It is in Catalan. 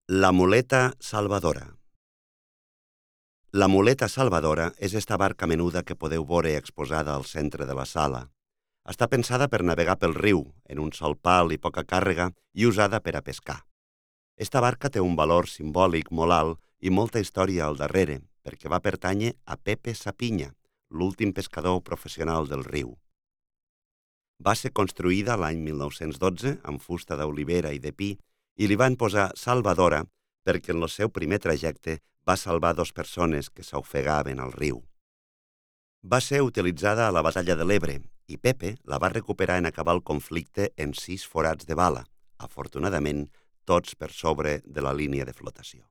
La muleta salvadora. La muleta salvadora és esta barca menuda que podeu veure exposada al centre de la sala. Està pensada per navegar pel riu, en un sol pal i poca càrrega, i usada per a pescar. Esta barca té un valor simbòlic molt alt i molta història al darrere, perquè va pertànyer a Pepe Sapinya, l'últim pescador professional del riu. Va ser construïda l'any 1912 amb fusta d'olivera i de pi i li van posar Salvadora perquè en el seu primer trajecte va salvar 2 persones que s'ofegaven al riu. Va ser utilitzada a la batalla de l'Ebre i Pepe la va recuperar en acabar el conflicte en 6 forats de bala, afortunadament tots per sobre de la línia de flotació.